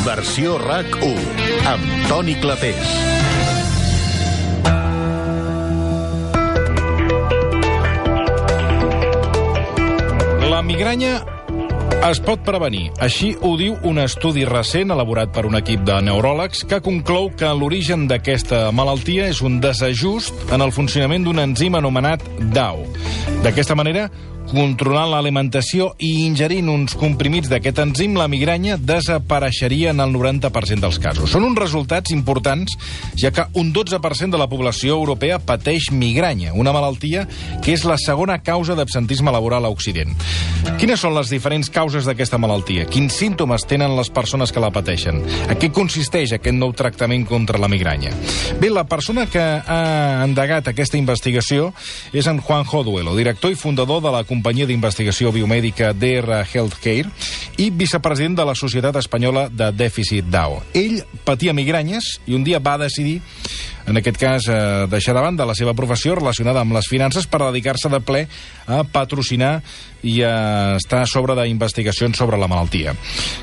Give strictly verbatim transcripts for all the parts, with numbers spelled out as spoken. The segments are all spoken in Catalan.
Versió RAC u, amb Toni Clapés. La migranya es pot prevenir. Així ho diu un estudi recent elaborat per un equip de neuròlegs que conclou que l'origen d'aquesta malaltia és un desajust en el funcionament d'un enzim anomenat D A O. D'aquesta manera, controlant l'alimentació i ingerint uns comprimits d'aquest enzim, la migranya desapareixeria en el noranta per cent dels casos. Són uns resultats importants, ja que un dotze per cent de la població europea pateix migranya, una malaltia que és la segona causa d'absentisme laboral a Occident. Quines són les diferents causes d'aquesta malaltia? Quins símptomes tenen les persones que la pateixen? A què consisteix aquest nou tractament contra la migranya? Bé, la persona que ha endegat aquesta investigació és en Juanjo Duelo, director i fundador de la companyia d'investigació biomèdica D R Healthcare i vicepresident de la Societat Espanyola de Dèficit D A O. Ell patia migranyes i un dia va decidir, en aquest cas, eh, deixar de banda la seva professió relacionada amb les finances per dedicar-se de ple a patrocinar i a estar a sobre d'investigacions sobre la malaltia.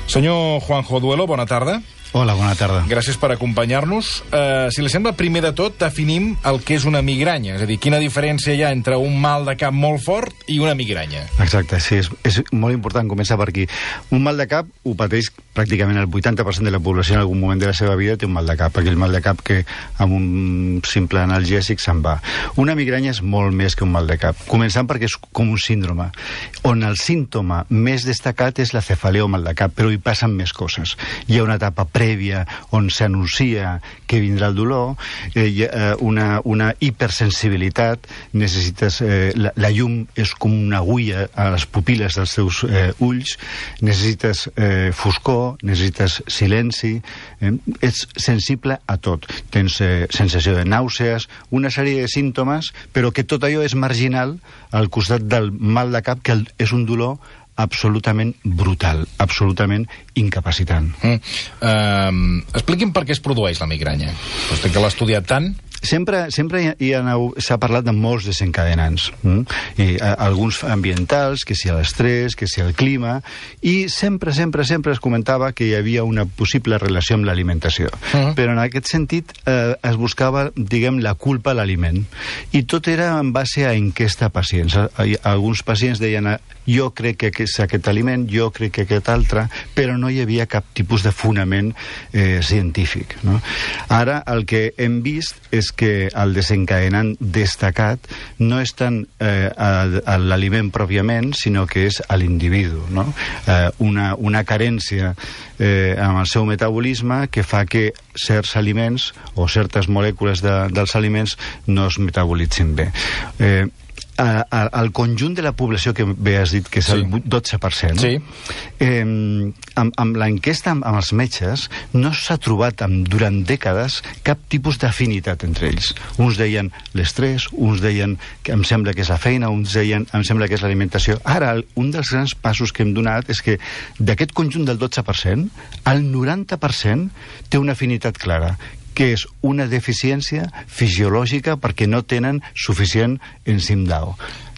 Senyor Juanjo Duelo, bona tarda. Hola, bona tarda. Gràcies per acompanyar-nos. Uh, si li sembla, primer de tot, definim el que és una migranya. És a dir, quina diferència hi ha entre un mal de cap molt fort i una migranya? Exacte, sí, és, és molt important començar per aquí. Un mal de cap ho pateix pràcticament el vuitanta per cent de la població en algun moment de la seva vida té un mal de cap, aquell mal de cap que amb un simple analgèsic se'n va. Una migranya és molt més que un mal de cap, començant perquè és com un síndrome, on el símptoma més destacat és la cefalea o mal de cap, però hi passen més coses. Hi ha una etapa prèvia on s'anuncia que vindrà el dolor, eh, eh, una, una hipersensibilitat, necessites, eh, la, la llum és com una agulla a les pupil·les dels teus eh, ulls, necessites eh, foscor, necessites silenci, eh, ets sensible a tot, tens eh, sensació de nàusees, una sèrie de símptomes, però que tot allò és marginal al costat del mal de cap, que el, és un dolor absolutament brutal, absolutament incapacitant. Mm. Uh, expliqui'm per què es produeix la migranya. Vostè que l'ha estudiat tant... Sempre, sempre hi ha, s'ha parlat de molts desencadenants. Mm? I, a, alguns ambientals, que si l'estrès, que si el clima, i sempre, sempre, sempre es comentava que hi havia una possible relació amb l'alimentació. Uh-huh. Però en aquest sentit eh, es buscava, diguem, la culpa a l'aliment. I tot era en base a enquesta a pacients. Alguns pacients deien, jo crec que és aquest aliment, jo crec que aquest altre, però no hi havia cap tipus de fonament eh, científic. No? Ara el que hem vist és que el desencadenant destacat no és tant eh, l'aliment pròpiament, sinó que és a l'individu, no? Eh, una, una carència eh, amb el seu metabolisme que fa que certs aliments o certes molècules de, dels aliments no es metabolitzin bé. Eh, al conjunt de la població que bé has dit que és sí. el dotze per cent, sí. eh, amb, amb l'enquesta amb, amb els metges no s'ha trobat amb, durant dècades cap tipus d'afinitat entre ells. Uns deien l'estrès, uns deien que em sembla que és la feina, uns deien em sembla que és l'alimentació. Ara, un dels grans passos que hem donat és que d'aquest conjunt del dotze per cent, el noranta per cent té una afinitat clara, que és una deficiència fisiològica perquè no tenen suficient enzim D A O.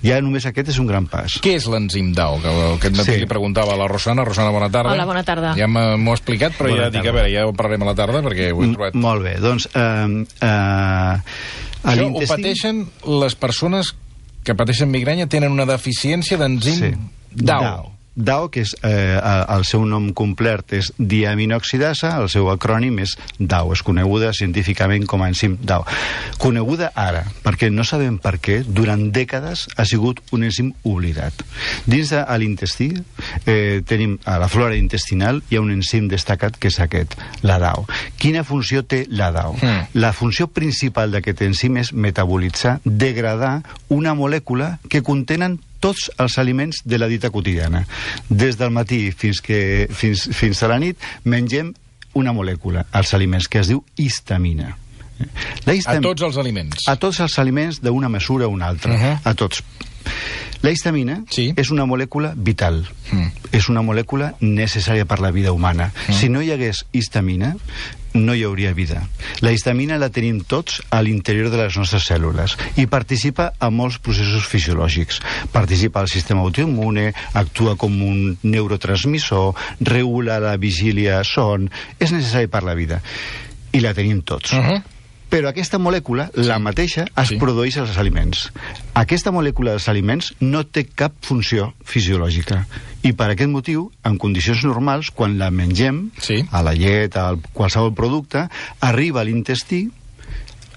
Ja només aquest és un gran pas. Què és l'enzim D A O? Que aquest matí sí. li preguntava a la Rosana. Rosana, bona tarda. Hola, bona tarda. Ja m'ho ha explicat, però bona ja tarda. Dic, a veure, ja ho parlarem a la tarda perquè ho he trobat. M molt bé, doncs... Uh, uh, Això ho pateixen les persones que pateixen migranya, tenen una deficiència d'enzim sí. D A O. D A O, que és, eh, el seu nom complet és diaminoxidasa, el seu acrònim és D A O, és coneguda científicament com a enzim D A O. Coneguda ara, perquè no sabem per què, durant dècades ha sigut un enzim oblidat. Dins de l'intestí, eh, tenim a la flora intestinal, hi ha un enzim destacat que és aquest, la D A O. Quina funció té la D A O? Mm. La funció principal d'aquest enzim és metabolitzar, degradar una molècula que contenen tots els aliments de la dieta quotidiana. Des del matí fins, que, fins, fins a la nit mengem una molècula als aliments que es diu histamina. La histamina a tots els aliments? A tots els aliments d'una mesura o una altra. Uh-huh. A tots. La histamina sí. és una molècula vital, mm. és una molècula necessària per la vida humana. Mm. Si no hi hagués histamina, no hi hauria vida. La histamina la tenim tots a l'interior de les nostres cèl·lules i participa en molts processos fisiològics. Participa al sistema autoimmune, actua com un neurotransmissor, regula la vigília son, és necessari per la vida. I la tenim tots. Uh-huh. Però aquesta molècula, sí. la mateixa, es sí. produeix als aliments. Aquesta molècula dels aliments no té cap funció fisiològica. I per aquest motiu, en condicions normals, quan la mengem, sí. a la llet, a qualsevol producte, arriba a l'intestí,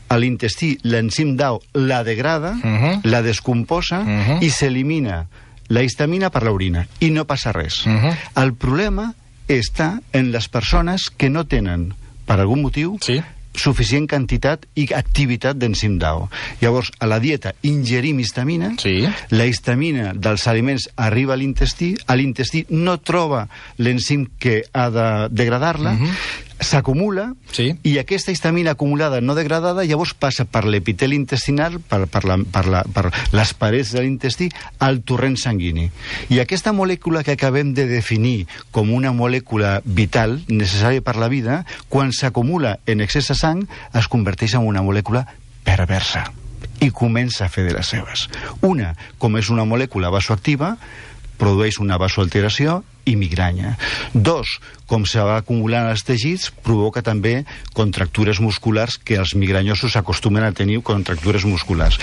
a l'intestí l'enzim d'A O la degrada, uh-huh. la descomposa uh-huh. i s'elimina la histamina per l'orina. I no passa res. Uh-huh. El problema està en les persones que no tenen, per algun motiu, sí. suficient quantitat i activitat d'enzim d'A O. Llavors, a la dieta ingerim histamina, sí. la histamina dels aliments arriba a l'intestí, a l'intestí no troba l'enzim que ha de degradar-la, uh-huh. s'acumula, sí. i aquesta histamina acumulada no degradada llavors passa per l'epiteli intestinal, per, per, la, per, la, per les parets de l'intestí, al torrent sanguini. I aquesta molècula que acabem de definir com una molècula vital, necessària per la vida, quan s'acumula en excés de sang, es converteix en una molècula perversa i comença a fer de les seves. Una, com és una molècula vasoactiva, produeix una vasoalteració i migranya. Dos, com se va acumulant als teixits, provoca també contractures musculars que els migranyosos acostumen a tenir contractures musculars.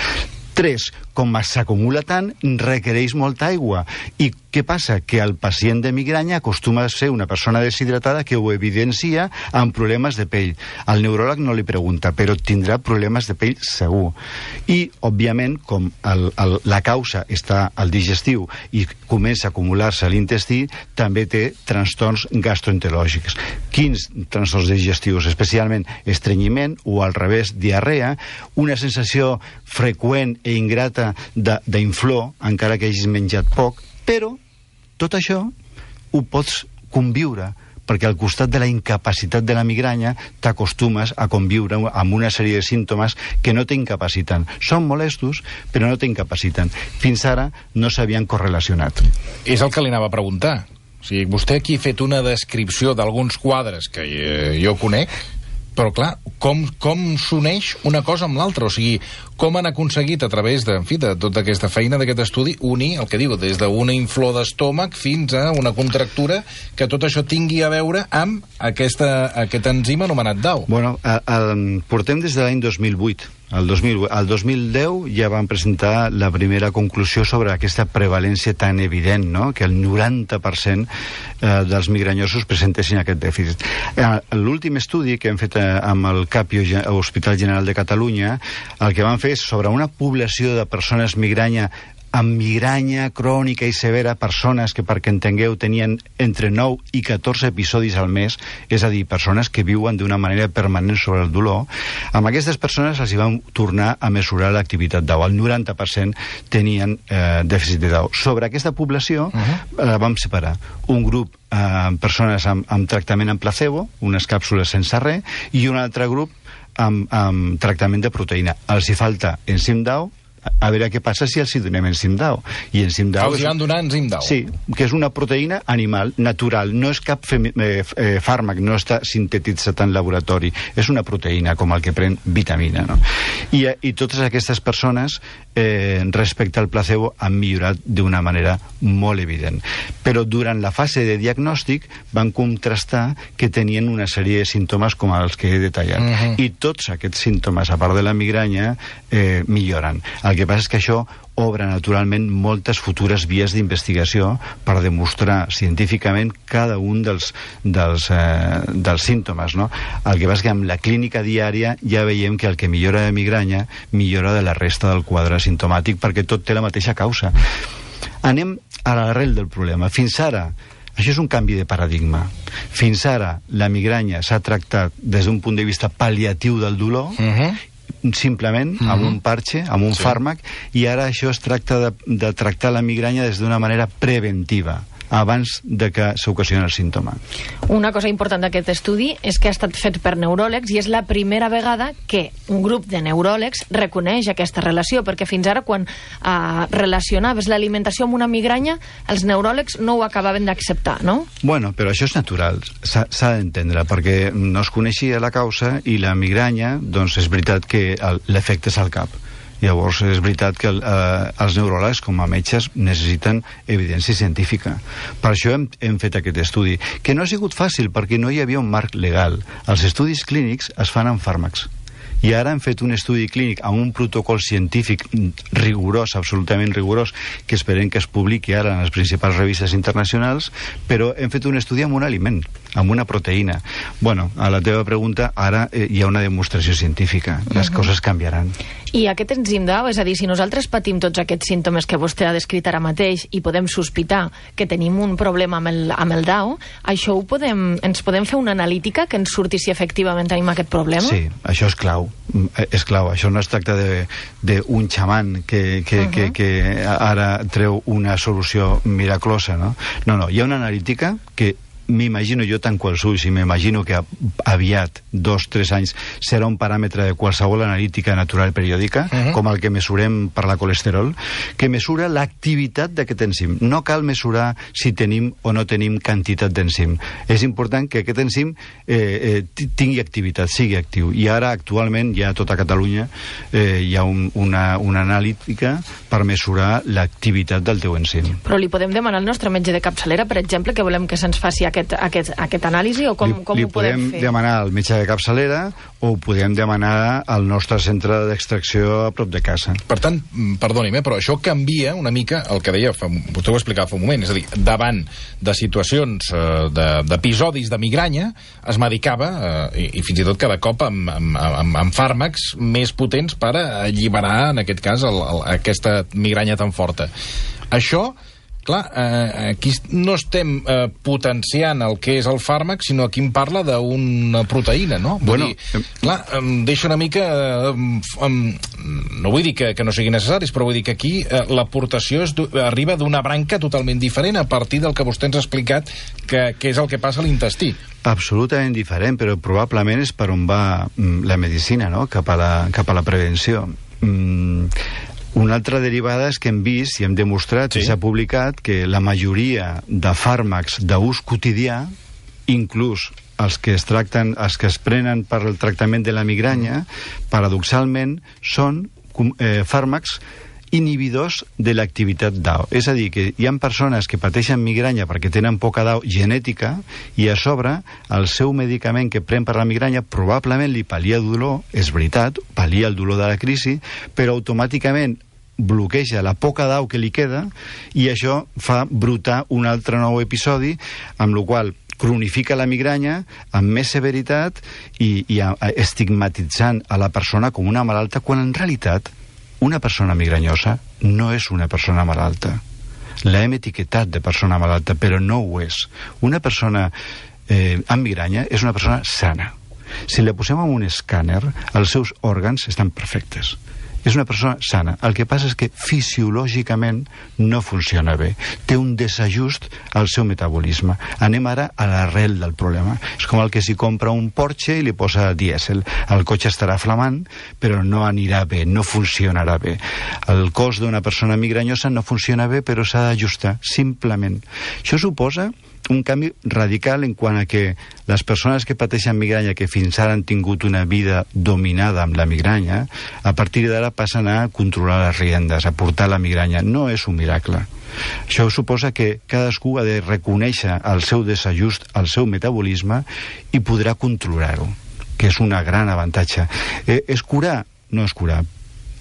Tres, com s'acumula tant, requereix molta aigua. I què passa? Que el pacient de migranya acostuma a ser una persona deshidratada que ho evidencia amb problemes de pell. Al neuròleg no li pregunta, però tindrà problemes de pell segur. I, òbviament, com el, el, la causa està al digestiu i comença a acumular-se a l'intestí, també té trastorns gastroenterològics. Quins trastorns digestius? Especialment estrenyiment o, al revés, diarrea, una sensació freqüent i ingrata d'inflor, encara que hagis menjat poc, però tot això ho pots conviure, perquè al costat de la incapacitat de la migranya t'acostumes a conviure amb una sèrie de símptomes que no t'incapaciten. Són molestos, però no t'incapaciten. Fins ara no s'havien correlacionat. És el que li anava a preguntar. O sigui, vostè aquí ha fet una descripció d'alguns quadres que eh, jo conec, però clar, com, com s'uneix una cosa amb l'altra? O sigui, com han aconseguit a través de, en fi, de tota aquesta feina d'aquest estudi unir, el que diu, des d'una inflor d'estómac fins a una contractura, que tot això tingui a veure amb aquesta, aquest enzim anomenat d'A O? Bueno, a, a, portem des de l'any dos mil vuit. El dos mil, el dos mil deu ja van presentar la primera conclusió sobre aquesta prevalència tan evident, no? Que el noranta per cent eh, dels migranyosos presentessin aquest dèficit. Eh, L'últim estudi que hem fet eh, amb el CAPIO, Hospital General de Catalunya, el que van fer és sobre una població de persones migranya amb migranya crònica i severa, persones que, perquè entengueu, tenien entre nou i catorze episodis al mes, és a dir, persones que viuen d'una manera permanent sobre el dolor. Amb aquestes persones els hi van tornar a mesurar l'activitat d'A O. El noranta per cent tenien eh, dèficit d'A O. Sobre aquesta població uh-huh. eh, vam separar un grup amb eh, persones amb, amb tractament amb placebo, unes càpsules sense res, i un altre grup amb, amb tractament de proteïna. Els hi falta enzim d'A O, a veure què passa si els hi donem enzim d'A O. I enzim d'A O... Els hi van donar enzim d'A O. Sí, que és una proteïna animal, natural, no és cap femi, eh, eh, fàrmac, no està sintetitzat en laboratori, és una proteïna, com el que pren vitamina, no? I, i totes aquestes persones, eh, respecte al placebo, han millorat d'una manera molt evident. Però durant la fase de diagnòstic van contrastar que tenien una sèrie de símptomes com els que he detallat. Uh-huh. I tots aquests símptomes, a part de la migranya, eh, milloren. El que passa és que això obre naturalment moltes futures vies d'investigació per demostrar científicament cada un dels, dels, eh, dels símptomes, no? El que passa és que amb la clínica diària ja veiem que el que millora de migranya millora de la resta del quadre simptomàtic, perquè tot té la mateixa causa. Anem a l'arrel del problema. Fins ara, això és un canvi de paradigma. Fins ara la migranya s'ha tractat des d'un punt de vista pal·liatiu del dolor, uh-huh. simplement mm-hmm. amb un parche, amb un sí. fàrmac, i ara això es tracta de, de tractar la migranya des d'una manera preventiva. abans de que s'ocasioni el símptoma. Una cosa important d'aquest estudi és que ha estat fet per neuròlegs i és la primera vegada que un grup de neuròlegs reconeix aquesta relació, perquè fins ara quan eh, relacionaves l'alimentació amb una migranya, els neuròlegs no ho acabaven d'acceptar, no? Bueno, però això és natural, s'ha d'entendre, perquè no es coneixia la causa i la migranya, doncs és veritat que l'efecte és al cap. Llavors, és veritat que eh, els neuròlegs, com a metges, necessiten evidència científica. Per això hem, hem fet aquest estudi, que no ha sigut fàcil, perquè no hi havia un marc legal. Els estudis clínics es fan amb fàrmacs. I ara hem fet un estudi clínic amb un protocol científic rigorós, absolutament rigorós, que esperem que es publiqui ara en les principals revistes internacionals, però hem fet un estudi amb un aliment, amb una proteïna. Bueno, a la teva pregunta, ara eh, hi ha una demostració científica. Les uh-huh. coses canviaran. I aquest enzim d'A O, és a dir, si nosaltres patim tots aquests símptomes que vostè ha descrit ara mateix i podem sospitar que tenim un problema amb el, amb el D A O, això ho podem, ens podem fer una analítica que ens surti si efectivament tenim aquest problema? Sí, això és clau. És clau, això no es tracta d'un xaman que, que, uh-huh. que, que ara treu una solució miraclosa, no? No, no, hi ha una analítica que m'imagino jo tant quals ulls i m'imagino que aviat, dos, tres anys, serà un paràmetre de qualsevol analítica natural periòdica, uh-huh. com el que mesurem per la colesterol, que mesura l'activitat d'aquest enzim. No cal mesurar si tenim o no tenim quantitat d'enzim. És important que aquest enzim eh, eh, tingui activitat, sigui actiu. I ara, actualment, ja a tota Catalunya eh, hi ha un, una, una analítica per mesurar l'activitat del teu enzim. Però li podem demanar al nostre metge de capçalera, per exemple, que volem que se'ns faci aquest, aquest, aquest anàlisi, o com, li, com li ho podem fer? Li podem demanar al metge de capçalera o ho podem demanar al nostre centre d'extracció a prop de casa. Per tant, perdoni'm, però això canvia una mica el que deia, fa, vostè ho explicava fa un moment, és a dir, davant de situacions, eh, d'episodis de, de migranya, es medicava, eh, i, i fins i tot cada cop amb, amb, amb, amb fàrmacs més potents per alliberar, en aquest cas, el, el, aquesta migranya tan forta. Això, clar, eh, aquí no estem eh, potenciant el que és el fàrmac, sinó aquí em parla d'una proteïna, no? Vull bueno, dir, clar, em deixa una mica... Eh, em, no vull dir que, que no siguin necessaris, però vull dir que aquí eh, l'aportació arriba d'una branca totalment diferent a partir del que vostè ens ha explicat que, que és el que passa a l'intestí. Absolutament diferent, però probablement és per on va mm, la medicina, no? Cap a la, cap a la prevenció. Mm, Una altra derivada és que hem vist i hem demostrat, sí, i s'ha publicat, que la majoria de fàrmacs d'ús quotidià, inclús els que es tracten, els que es prenen per al tractament de la migranya, paradoxalment són eh, fàrmacs inhibidors de l'activitat D A O. És a dir, que hi ha persones que pateixen migranya perquè tenen poca D A O genètica i a sobre el seu medicament que pren per la migranya probablement li pal·lia el dolor, és veritat, pal·lia el dolor de la crisi, però automàticament bloqueja la poca D A O que li queda i això fa brotar un altre nou episodi, amb el qual cronifica la migranya amb més severitat i, i a, a, estigmatitzant a la persona com una malalta, quan en realitat una persona migranyosa no és una persona malalta. La hem etiquetat de persona malalta, però no ho és. Una persona eh, amb migranya és una persona sana. Si la posem en un escàner, els seus òrgans estan perfectes. És una persona sana. El que passa és que fisiològicament no funciona bé. Té un desajust al seu metabolisme. Anem ara a l'arrel del problema. És com el que si compra un Porsche i li posa dièsel. El cotxe estarà flamant, però no anirà bé, no funcionarà bé. El cos d'una persona migranyosa no funciona bé, però s'ha d'ajustar, simplement. Això suposa un canvi radical en quant a que les persones que pateixen migranya, que fins ara han tingut una vida dominada amb la migranya, a partir d'ara passen a controlar les riendes, a portar la migranya. No és un miracle. Això suposa que cadascú ha de reconèixer el seu desajust, el seu metabolisme, i podrà controlar-ho, que és un gran avantatge. Eh, és curar? No és curar,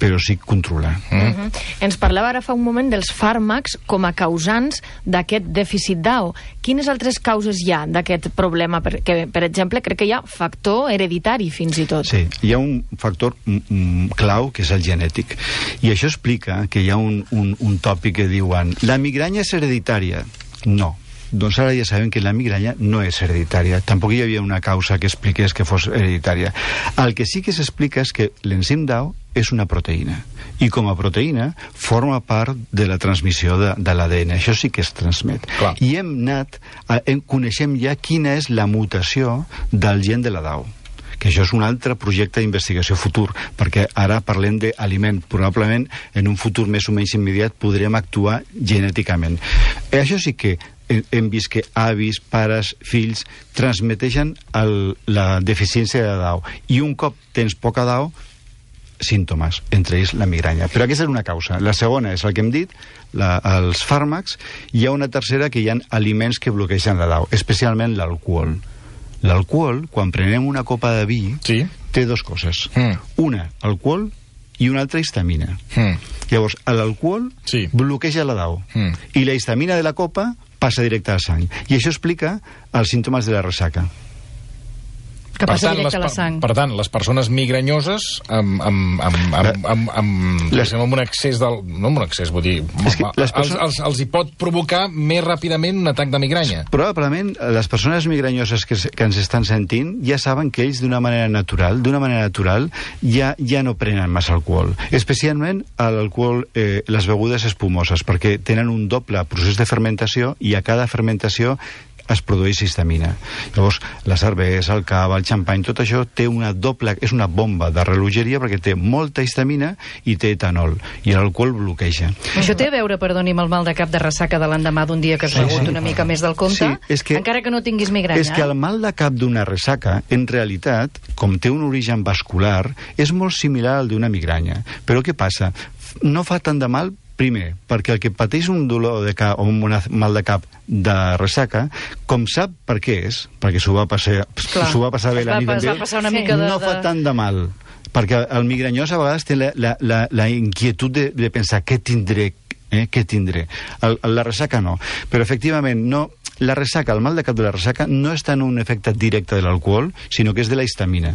però sí controlar. Mm. Uh-huh. Ens parlava ara fa un moment dels fàrmacs com a causants d'aquest dèficit D A O. Quines altres causes hi ha d'aquest problema? Perquè, per exemple, crec que hi ha factor hereditari, fins i tot. Sí, hi ha un factor mm, clau, que és el genètic. I això explica que hi ha un, un, un tòpic que diuen la migranya és hereditària. No. Doncs ara ja sabem que la migranya no és hereditària. Tampoc hi havia una causa que expliqués que fos hereditària. El que sí que s'explica és que l'enzim D A O és una proteïna, i com a proteïna forma part de la transmissió de, de l'A D N. Això sí que es transmet. Clar. I hem anat, a, hem, coneixem ja quina és la mutació del gen de la D A O, que això és un altre projecte d'investigació futur, perquè ara parlem d'aliment. Probablement en un futur més o menys immediat podrem actuar genèticament. I això sí que hem vist que avis, pares, fills transmeteixen el, la deficiència de D A O, i un cop tens poca D A O, símptomes, entre ells la migranya. Però aquesta és una causa. La segona és el que hem dit, la, els fàrmacs. Hi ha una tercera, que hi ha aliments que bloquegen la D A O, especialment l'alcohol. L'alcohol, quan prenem una copa de vi, sí, té dues coses. Mm. Una, alcohol, i una altra, histamina. Mm. Llavors, l'alcohol sí. bloqueja la D A O. Mm. I la histamina de la copa passa directe al sang. I això explica els símptomes de la ressaca. Que passa directe a la sang. Per tant, les persones migranyoses amb, amb, amb, amb, amb, amb, les... amb un excés del... No amb un excés, vull dir... És que les persones... els, els, els hi pot provocar més ràpidament un atac de migranya. Probablement les persones migranyoses que, que ens estan sentint ja saben que ells d'una manera natural, d'una manera natural, ja, ja no prenen massa alcohol. Especialment l'alcohol, eh, les begudes espumoses, perquè tenen un doble procés de fermentació, i a cada fermentació es produeix histamina. Llavors, la cervesa, el cava, el xampany, tot això té una doble... és una bomba de relojeria, perquè té molta histamina i té etanol, i l'alcohol bloqueja. Això té a veure, perdoni, amb el mal de cap de ressaca de l'endemà d'un dia que has begut sí, sí. una mica més del compte, sí, que, encara que no tinguis migranya. És que el mal de cap d'una ressaca, en realitat, com té un origen vascular, és molt similar al d'una migranya. Però què passa? No fa tant de mal. Primer, perquè el que pateix un dolor de cap o un mal de cap de ressaca, com sap per què és, perquè s'ho va passar, s'ho va passar bé la nit amb ell, no fa tant de mal. Perquè el migranyós a vegades té la, la, la, la inquietud de, de pensar què tindré, eh, què tindré. El, la ressaca no. Però efectivament no... La ressaca, el mal de cap de la ressaca, no és tant un efecte directe de l'alcohol, sinó que és de la histamina.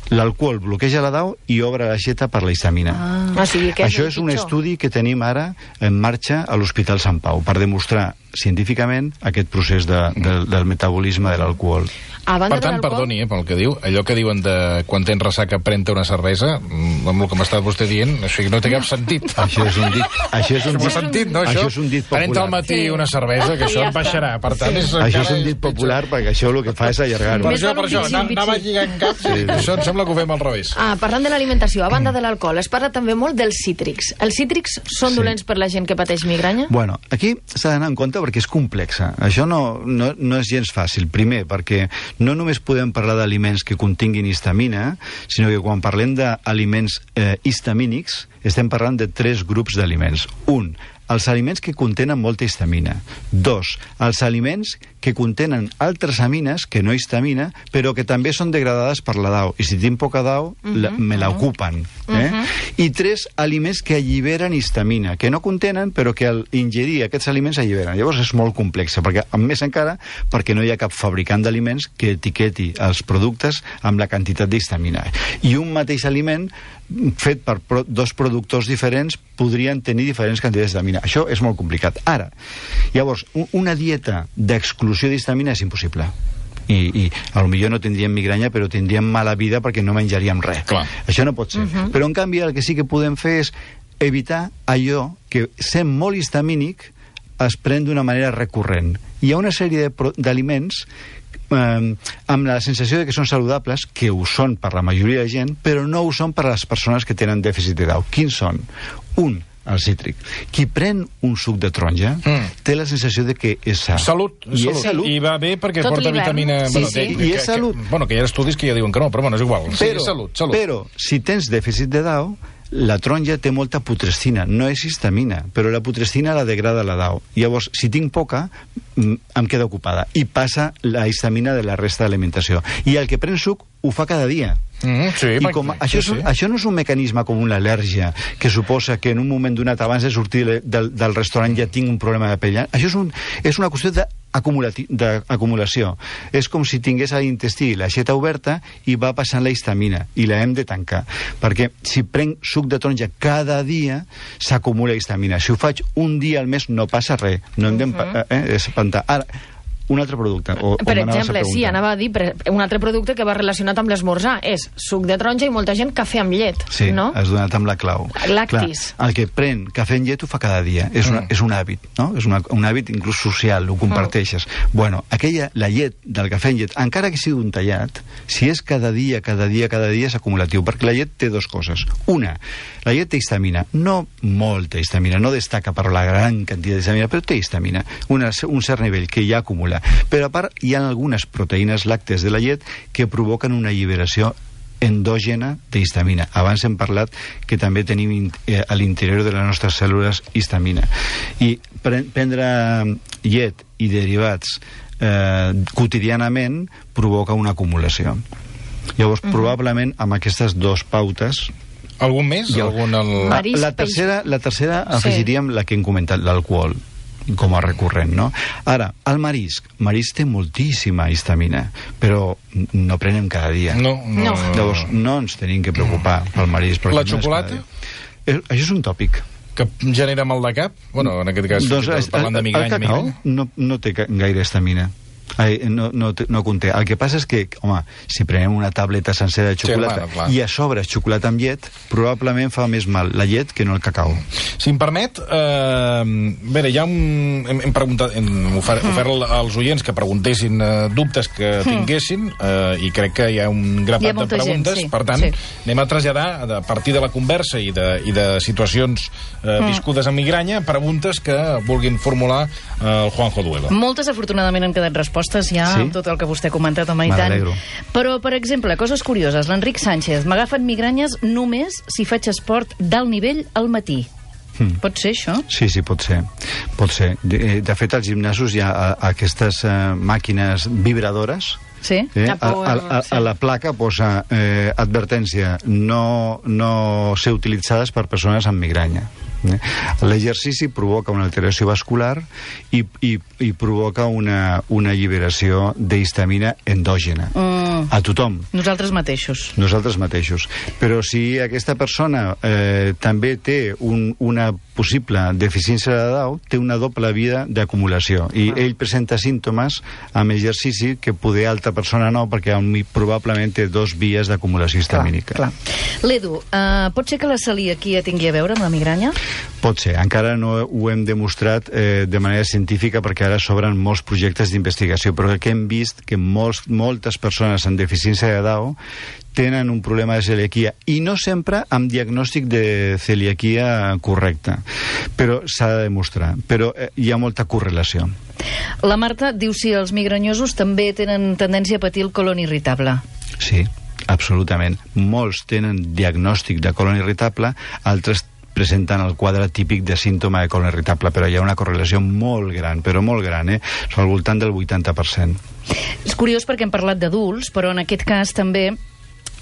L'alcohol bloqueja la D A O i obre l'aixeta per la histamina. Ah, sí, Això és un estudi que tenim ara en marxa a l'Hospital Sant Pau, per demostrar científicament aquest procés de, de, del metabolisme de l'alcohol. Per tant, perdoni, eh, pel que diu, allò que diuen de quan tens ressaca pren-te una cervesa, amb el que m'està vostè dient, això no té cap sentit. Això és un dit, això és un dit, sentit, no, això? Això és un dit popular. Pren-te al matí una cervesa, que això em baixarà. Per tant, és això és un dit popular, perquè això el que fa és allargar-ho. Per això, per això, anava lligant cap, sí. Això em sembla que ho fem al revés. Ah, parlant de l'alimentació, a banda de l'alcohol, es parla també molt dels cítrics. Els cítrics són sí. dolents per la gent que pateix migranya? Bueno, aquí s'ha d'anar en compte perquè és complexa. Això no, no, no és gens fàcil. Primer, perquè no només podem parlar d'aliments que continguin histamina, sinó que quan parlem d'aliments eh, histamínics, estem parlant de tres grups d'aliments. Un, els aliments que contenen molta histamina. Dos, els aliments que contenen altres amines que no histamina, però que també són degradades per la D A O. I si tinc poca D A O, uh-huh, la, me l'ocupen. Uh-huh. Eh? Uh-huh. I tres, aliments que alliberen histamina, que no contenen, però que al ingerir aquests aliments alliberen. Llavors és molt complexa, perquè, a més encara, perquè no hi ha cap fabricant d'aliments que etiqueti els productes amb la quantitat d'histamina. I un mateix aliment fet per pro dos productors diferents podrien tenir diferents quantitats d'histamina. Això és molt complicat. Ara, llavors, una dieta d'exclusió d'histamina és impossible. I, i a lo millor no tindríem migranya, però tindríem mala vida perquè no menjaríem res. Clar. Això no pot ser. Uh-huh. Però, en canvi, el que sí que podem fer és evitar allò que, sent molt histamínic, es pren d'una manera recurrent. Hi ha una sèrie d'aliments eh, amb la sensació de que són saludables, que ho són per la majoria de gent, però no ho són per a les persones que tenen dèficit de D A O. Quins són? Un, el cítric. Qui pren un suc de taronja mm. té la sensació de que és sa. Salut. I salut. és salut. I va bé perquè Tot porta vitamina... Sí, bueno, sí. Té, I és que, salut. Que, bueno, que hi ha estudis que ja diuen que no, però bueno, és igual. Però, sí, salut, salut. Però, si tens dèficit de D A O, la taronja té molta putrescina, no és histamina, però la putrescina la degrada la D A O. Llavors, si tinc poca, em queda ocupada. I passa la histamina de la resta d'alimentació. I el que pren suc ho fa cada dia. Mm, sí, I com sí, això, és, sí. això no és un mecanisme com una al·lèrgia que suposa que en un moment donat abans de sortir del, del restaurant ja tinc un problema de pell. Això és, un, és una qüestió d'acumulació. És com si tingués a l'intestí l'aixeta oberta i va passant la histamina i la hem de tancar, perquè si prenc suc de taronja cada dia s'acumula histamina. Si ho faig un dia al mes no passa res, no hem d'espantar. Ara, un altre producte. O, per exemple, sí, anava a dir, un altre producte que va relacionat amb l'esmorzar és suc de taronja i molta gent cafè amb llet, sí, no? Sí, has donat amb la clau. Lactis. Clar, el que pren cafè amb llet ho fa cada dia, és, una, mm. és un hàbit, no? És una, un hàbit inclús social, ho comparteixes. Mm. Bueno, aquella, la llet del cafè amb llet, encara que sigui un tallat, si és cada dia, cada dia, cada dia és acumulatiu, perquè la llet té dues coses. Una, la llet té histamina, no molta histamina, no destaca per la gran quantitat d'histamina, però té histamina, una, un cert nivell que ja acumula. Però a part hi ha algunes proteïnes làctees de la llet que provoquen una alliberació endògena d'histamina. Abans hem parlat que també tenim eh, a l'interior de les nostres cèl·lules histamina. I pre prendre llet i derivats eh, quotidianament provoca una acumulació. Llavors, uh-huh. probablement, amb aquestes dues pautes... Algun més? Algun el... Marisc, la tercera, la tercera afegiríem sí. la que hem comentat, l'alcohol, com a recurrent, no? Ara, el marisc. Marisc té moltíssima histamina, però no prenem cada dia. No, no. Llavors, no ens tenim que preocupar pel marisc. La xocolata? No és això és un tòpic. Que genera mal de cap? Bueno, en aquest cas, doncs, parlant de migranya. El cacau no, no té gaire histamina. Ai, no, no, no conté. El que passa és que, home, si prenem una tableta sencera de xocolata sí, clar, clar. i a sobre xocolata amb llet, probablement fa més mal la llet que no el cacau. Si em permet, eh, a veure, ja hem, hem, hem, preguntat, hem ofert, ofert als oients que preguntessin eh, dubtes que tinguessin eh, i crec que hi ha un grapat de preguntes, gent, sí. per tant, sí. anem a traslladar a partir de la conversa i de, i de situacions eh, viscudes amb migranya, preguntes que vulguin formular eh, el Juanjo Duelo. Moltes, afortunadament, han quedat respostes ja sí? amb tot el que vostè ha comentat, home, i tant. Però, per exemple, coses curioses. L'Enric Sánchez, m'agafen migranyes només si faig esport d'alt nivell al matí. Hmm. Pot ser, això? Sí, sí, pot ser. Pot ser. De, de fet, als gimnasos hi ha a, aquestes uh, màquines vibradores. Sí? Eh? A, a, a, a la placa posa eh, advertència, no, no ser utilitzades per persones amb migranya. Eh? L'exercici provoca una alteració vascular i, i, i provoca una, una alliberació d'histamina endògena. Mm. A tothom. Nosaltres mateixos. Nosaltres mateixos. Però si aquesta persona eh, també té un, una possible deficiència de Down, té una doble via d'acumulació. I ah. ell presenta símptomes amb exercici que poder altra persona no, perquè probablement té dos vies d'acumulació histamínica. Clar, clar. L'Edu, uh, pot ser que la celiaquia tingui a veure amb la migranya? Pot ser. Encara no ho hem demostrat eh, de manera científica perquè ara s'obren molts projectes d'investigació, però que hem vist que molts, moltes persones amb deficiència de Down tenen un problema de celiaquia i no sempre amb diagnòstic de celiaquia correcte, però s'ha de demostrar, però eh, hi ha molta correlació. La Marta diu si els migranyosos també tenen tendència a patir el colon irritable. Sí, absolutament. Molts tenen diagnòstic de colon irritable, altres presenten el quadre típic de símptoma de colon irritable, però hi ha una correlació molt gran, però molt gran, eh? Al voltant del vuitanta per cent. És curiós perquè hem parlat d'adults, però en aquest cas també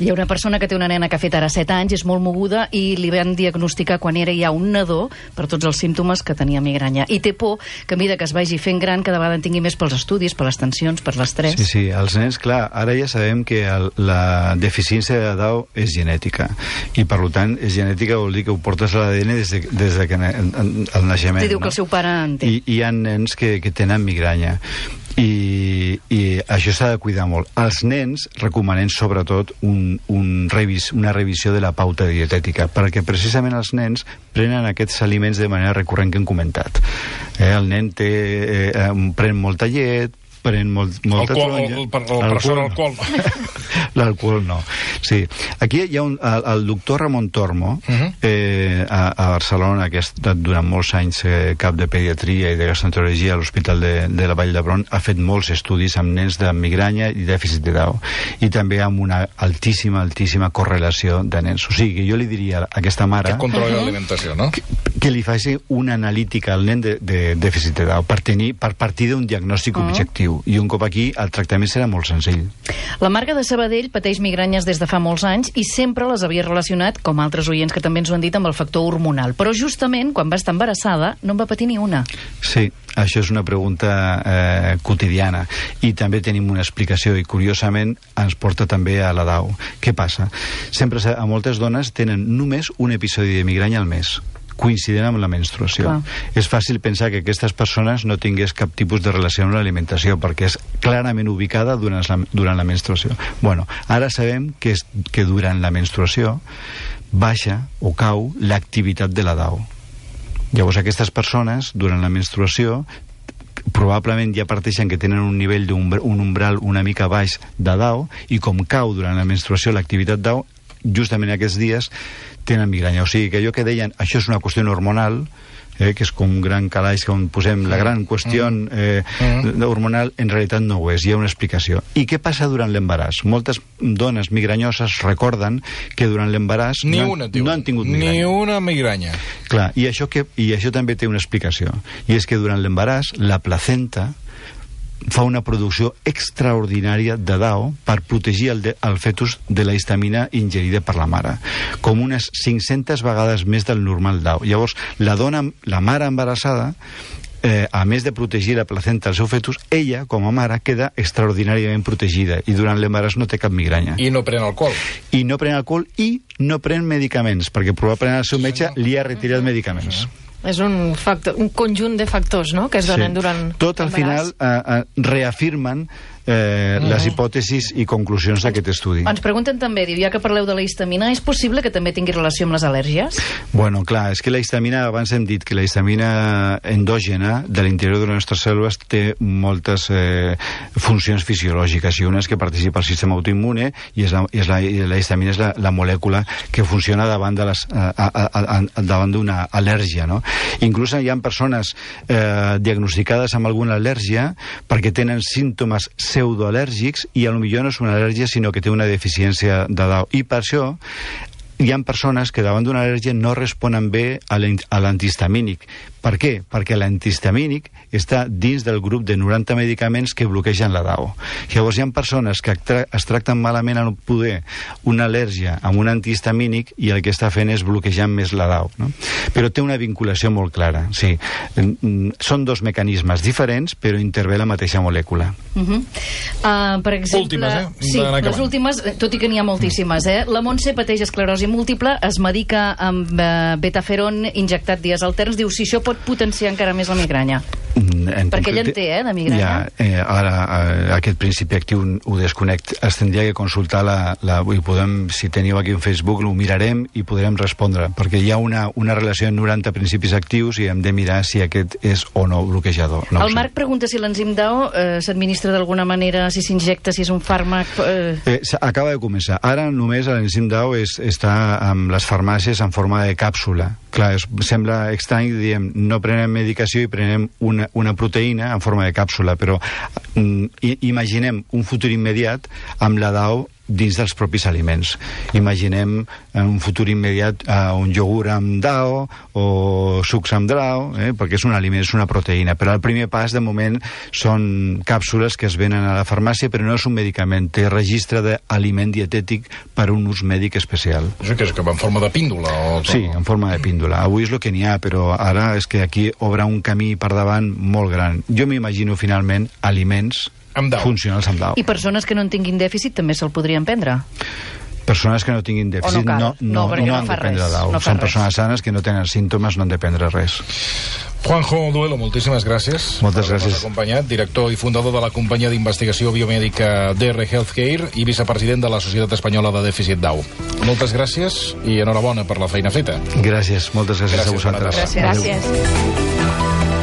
hi ha una persona que té una nena que ha fet ara set anys, és molt moguda, i li van diagnosticar quan era ja un nadó per tots els símptomes que tenia migranya. I té por que a mesura que es vagi fent gran cada vegada en tingui més pels estudis, per les tensions, per l'estrès. Sí, sí, els nens, clar, ara ja sabem que el, la deficiència de Down és genètica, i per tant, és genètica vol dir que ho portes a l'A D N des de, des de que el naixement. Te diu no? que el seu pare en té. I hi ha nens que, que tenen migranya. I, i això s'ha de cuidar molt. Els nens recomanem sobretot un, un revis, una revisió de la pauta dietètica, perquè precisament els nens prenen aquests aliments de manera recurrent que hem comentat. Eh, el nen té, eh, pren molta llet, pren molt, molta alcohol, taronja. El, el, el professor alcohol. L'alcohol no. Sí. Aquí hi ha un, el, el doctor Ramon Tormo, uh -huh. eh, a, a Barcelona, que ha estat durant molts anys eh, cap de pediatria i de gastroenterologia a l'Hospital de, de la Vall d'Hebron, ha fet molts estudis amb nens de migranya i dèficit de Down, i també amb una altíssima, altíssima correlació de nens. O sigui, jo li diria a aquesta mare... Que controli l'alimentació, no? Que, que li faci una analítica al nen de, de dèficit de Down per, tenir, per partir d'un diagnòstic uh -huh. objectiu. I un cop aquí el tractament serà molt senzill. La Marga de Sabadell pateix migranyes des de fa molts anys i sempre les havia relacionat, com altres oients que també ens ho han dit, amb el factor hormonal. Però justament quan va estar embarassada no en va patir ni una. Sí, això és una pregunta eh, quotidiana, i també tenim una explicació, i curiosament ens porta també a la Down. Què passa? Sempre a moltes dones tenen només un episodi de migranya al mes. coincident amb la menstruació. Clar. És fàcil pensar que aquestes persones no tingués cap tipus de relació amb l'alimentació, perquè és clarament ubicada durant la, durant la menstruació. Bueno, ara sabem que, és, que durant la menstruació baixa o cau l'activitat de la D A O. Llavors aquestes persones, durant la menstruació, probablement ja parteixen que tenen un nivell d'un un umbral una mica baix de D A O, i com cau durant la menstruació l'activitat D A O, justament aquests dies tenen migranya. O sigui que allò que deien, això és una qüestió hormonal, eh, que és com un gran calaix on posem la gran qüestió eh, hormonal, en realitat no ho és, hi ha una explicació. I què passa durant l'embaràs? Moltes dones migranyoses recorden que durant l'embaràs no, no han tingut migranya. Ni una migranya. Clar, i això, que, i això també té una explicació, i és que durant l'embaràs la placenta fa una producció extraordinària de D A O per protegir el, de, el fetus de la histamina ingerida per la mare, com unes cinc-centes vegades més del normal D A O. Llavors, la dona, la mare embarassada, eh, a més de protegir la placenta del seu fetus, ella, com a mare, queda extraordinàriament protegida i durant l'embaràs no té cap migranya. I no pren alcohol. I no pren alcohol i no pren medicaments, perquè probablement el seu metge li ha retirat medicaments. És un, factor, un conjunt de factors, no?, que es donen sí. durant tot al final eh, eh, reafirmen eh, mm. les hipòtesis i conclusions d'aquest estudi. Ens pregunten també, diu, ja que parleu de la histamina, és possible que també tingui relació amb les al·lèrgies? Bueno, clar, és que la histamina, abans hem dit que la histamina endògena de l'interior de les nostres cèl·lules té moltes eh, funcions fisiològiques, i una és que participa al sistema autoimmune, i, és la, i, és la, i la histamina és la, la molècula que funciona davant de les, a, a, a, a, davant d'una al·lèrgia, no? Inclús hi ha persones eh, diagnosticades amb alguna al·lèrgia perquè tenen símptomes pseudoal·lèrgics i a lo millor no és una al·lèrgia sinó que té una deficiència de D A O, i per això hi ha persones que davant d'una al·lèrgia no responen bé a l'antihistamínic. Per què? Perquè l'antihistamínic està dins del grup de noranta medicaments que bloquegen la D A O. Llavors hi ha persones que tra es tracten malament a poder una al·lèrgia amb un antihistamínic i el que està fent és bloquejar més la D A O, no? Però té una vinculació molt clara, sí. Són dos mecanismes diferents, però intervé la mateixa molècula. Uh -huh. uh, per exemple... Últimes, eh? Sí, les últimes, tot i que n'hi ha moltíssimes, eh? La Montse pateix esclerosi múltiple, es medica amb uh, betaferon injectat dies alterns, diu, si això pot potenciar encara més la migranya. En perquè ella en té, eh, de migranya. Ja, eh, ara, eh, aquest principi actiu ho desconec. Es tindria que consultar la... la i podem, si teniu aquí un Facebook, ho mirarem i podrem respondre, perquè hi ha una, una relació en noranta principis actius i hem de mirar si aquest és o no bloquejador. No el Marc pregunta si l'enzim D A O eh, s'administra d'alguna manera, si s'injecta, si és un fàrmac... Eh... Eh, acaba de començar. Ara només l'enzim D A O és, està amb les farmàcies en forma de càpsula. Clar, es, sembla estrany, diem, no prenem medicació i prenem una, una proteïna en forma de càpsula, però mm, imaginem un futur immediat amb la D A O dins dels propis aliments. Imaginem en un futur immediat uh, un iogurt amb D A O o sucs amb D A O, eh, perquè és un aliment, és una proteïna. Però el primer pas, de moment, són càpsules que es venen a la farmàcia, però no és un medicament, té registre d'aliment dietètic per un ús mèdic especial. Això que és que va en forma de píndola? O... Sí, en forma de píndola. Avui és el que n'hi ha, però ara és que aquí obre un camí per davant molt gran. Jo m'imagino, finalment, aliments amb funcionals amb D A O. I persones que no en tinguin dèficit també se'l podrien prendre? Persones que no tinguin dèficit no, no, no, no, no, no han de prendre D A O. No Són persones sanes que no tenen símptomes, no han de prendre res. Juanjo Duelo, moltíssimes gràcies. Moltes gràcies. Acompanyat, director i fundador de la companyia d'investigació biomèdica D R Healthcare i vicepresident de la Societat Espanyola de Dèficit D A O. Moltes gràcies i enhorabona per la feina feta. Gràcies, moltes gràcies, gràcies a vosaltres. Gràcies. gràcies.